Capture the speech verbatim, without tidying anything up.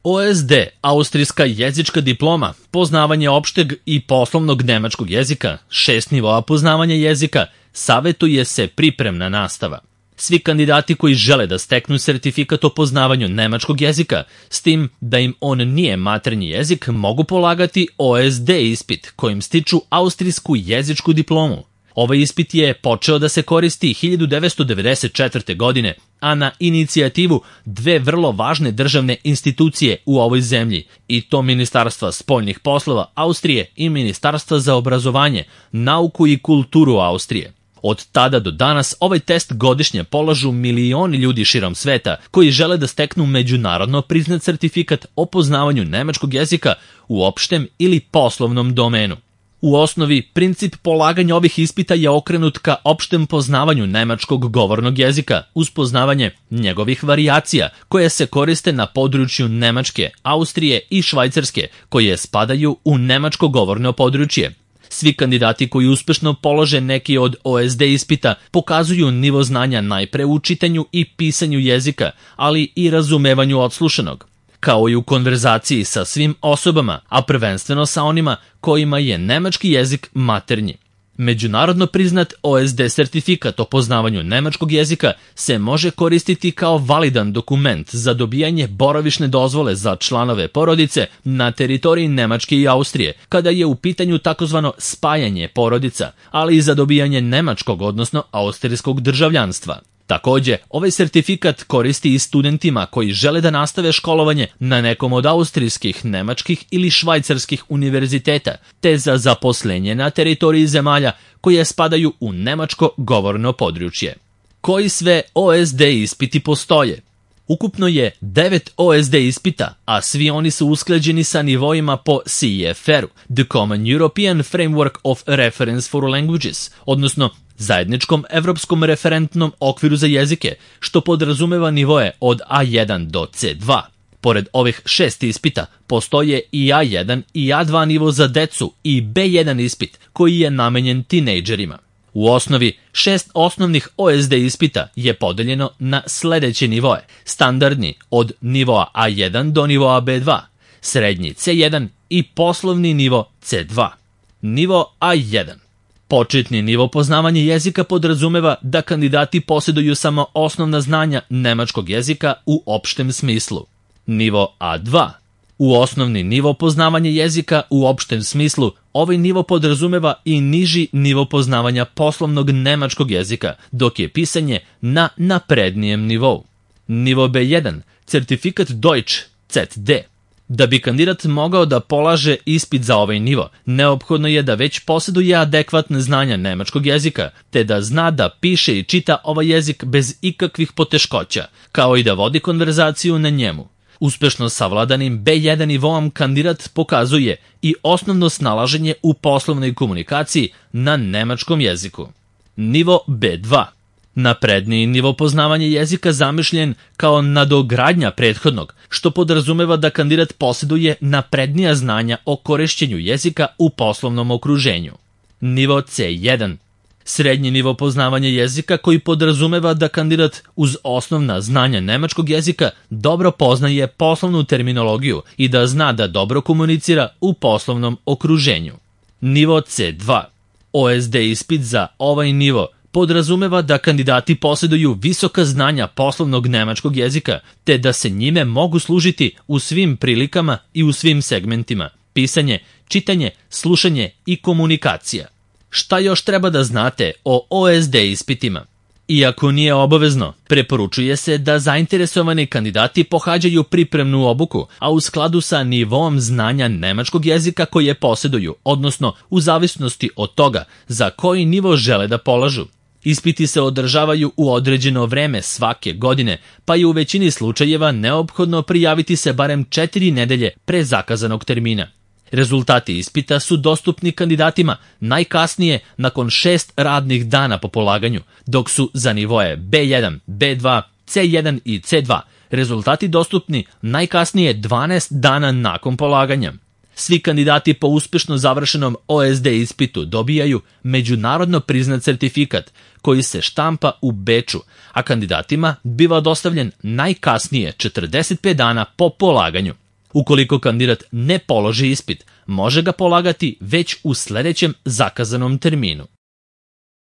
O S D, austrijska jezička diploma, poznavanje opšteg i poslovnog nemačkog jezika, šest nivoa poznavanja jezika, savetuje se pripremna nastava. Svi kandidati koji žele da steknu sertifikat o poznavanju nemačkog jezika, s tim da im on nije maternji jezik, mogu polagati O S D ispit kojim stiču austrijsku jezičku diplomu. Ovaj ispit je počeo da se koristi hiljadu devetsto devedeset četvrte. godine, a na inicijativu dve vrlo važne državne institucije u ovoj zemlji, i to Ministarstva spoljnih poslova Austrije i Ministarstva za obrazovanje, nauku i kulturu Austrije. Od tada do danas ovaj test godišnje polažu milioni ljudi širom sveta koji žele da steknu međunarodno priznat sertifikat o poznavanju nemačkog jezika u opštem ili poslovnom domenu. U osnovi, princip polaganja ovih ispita je okrenut ka opštem poznavanju nemačkog govornog jezika uz poznavanje njegovih varijacija koje se koriste na području Nemačke, Austrije i Švajcarske, koje spadaju u nemačko govorno područje. Svi kandidati koji uspešno polože neki od O S D ispita pokazuju nivo znanja najpre u čitanju i pisanju jezika, ali i razumevanju odslušanog, kao i u konverzaciji sa svim osobama, a prvenstveno sa onima kojima je nemački jezik maternji. Međunarodno priznat O S D sertifikat o poznavanju nemačkog jezika se može koristiti kao validan dokument za dobijanje boravišne dozvole za članove porodice na teritoriji Nemačke i Austrije, kada je u pitanju takozvano spajanje porodica, ali i za dobijanje nemačkog, odnosno austrijskog državljanstva. Takođe, ovaj sertifikat koristi i studentima koji žele da nastave školovanje na nekom od austrijskih, nemačkih ili švajcarskih univerziteta, te za zaposlenje na teritoriji zemalja koje spadaju u nemačko govorno područje. Koji sve O S D ispiti postoje? Ukupno je devet O S D ispita, a svi oni su usklađeni sa nivoima po C E F R-u, The Common European Framework of Reference for Languages, odnosno zajedničkom evropskom referentnom okviru za jezike, što podrazumeva nivoe od A jedan do C dva. Pored ovih šest ispita, postoje i A jedan i A dva nivo za decu i B jedan ispit, koji je namenjen tinejdžerima. U osnovi, šest osnovnih O S D ispita je podeljeno na sledeće nivoe: standardni od nivoa A jedan do nivoa B dva, srednji C jedan i poslovni nivo C dva. Nivo A jedan. Početni nivo poznavanja jezika podrazumeva da kandidati posjeduju samo osnovna znanja nemačkog jezika u opštem smislu. Nivo A dva. U osnovni nivo poznavanja jezika u opštem smislu, ovaj nivo podrazumeva i niži nivo poznavanja poslovnog nemačkog jezika, dok je pisanje na naprednijem nivou. Nivo B jedan. Certifikat Deutsch C D. Da bi kandidat mogao da polaže ispit za ovaj nivo, neophodno je da već posjeduje adekvatne znanja nemačkog jezika, te da zna da piše i čita ovaj jezik bez ikakvih poteškoća, kao i da vodi konverzaciju na njemu. Uspešno savladanim B jedan nivoom kandidat pokazuje i osnovno snalaženje u poslovnoj komunikaciji na nemačkom jeziku. Nivo B dva. Napredniji nivo poznavanja jezika zamišljen kao nadogradnja prethodnog, što podrazumeva da kandidat posjeduje naprednija znanja o korišćenju jezika u poslovnom okruženju. Nivo C jedan. Srednji nivo poznavanja jezika koji podrazumeva da kandidat uz osnovna znanja nemačkog jezika dobro poznaje poslovnu terminologiju i da zna da dobro komunicira u poslovnom okruženju. Nivo C dva. O S D ispit za ovaj nivo podrazumeva da kandidati posjeduju visoka znanja poslovnog nemačkog jezika, te da se njime mogu služiti u svim prilikama i u svim segmentima: pisanje, čitanje, slušanje i komunikacija. Šta još treba da znate o O S D ispitima? Iako nije obavezno, preporučuje se da zainteresovani kandidati pohađaju pripremnu obuku, a u skladu sa nivom znanja nemačkog jezika koje posjeduju, odnosno u zavisnosti od toga za koji nivo žele da polažu. Ispiti se održavaju u određeno vreme svake godine, pa je u većini slučajeva neophodno prijaviti se barem četiri nedelje pre zakazanog termina. Rezultati ispita su dostupni kandidatima najkasnije nakon šest radnih dana po polaganju, dok su za nivoe B jedan, B dva, C jedan i C dva rezultati dostupni najkasnije dvanaest dana nakon polaganja. Svi kandidati po uspešno završenom O S D ispitu dobijaju međunarodno priznat sertifikat koji se štampa u Beču, a kandidatima biva dostavljen najkasnije četrdeset pet dana po polaganju. Ukoliko kandidat ne položi ispit, može ga polagati već u sledećem zakazanom terminu.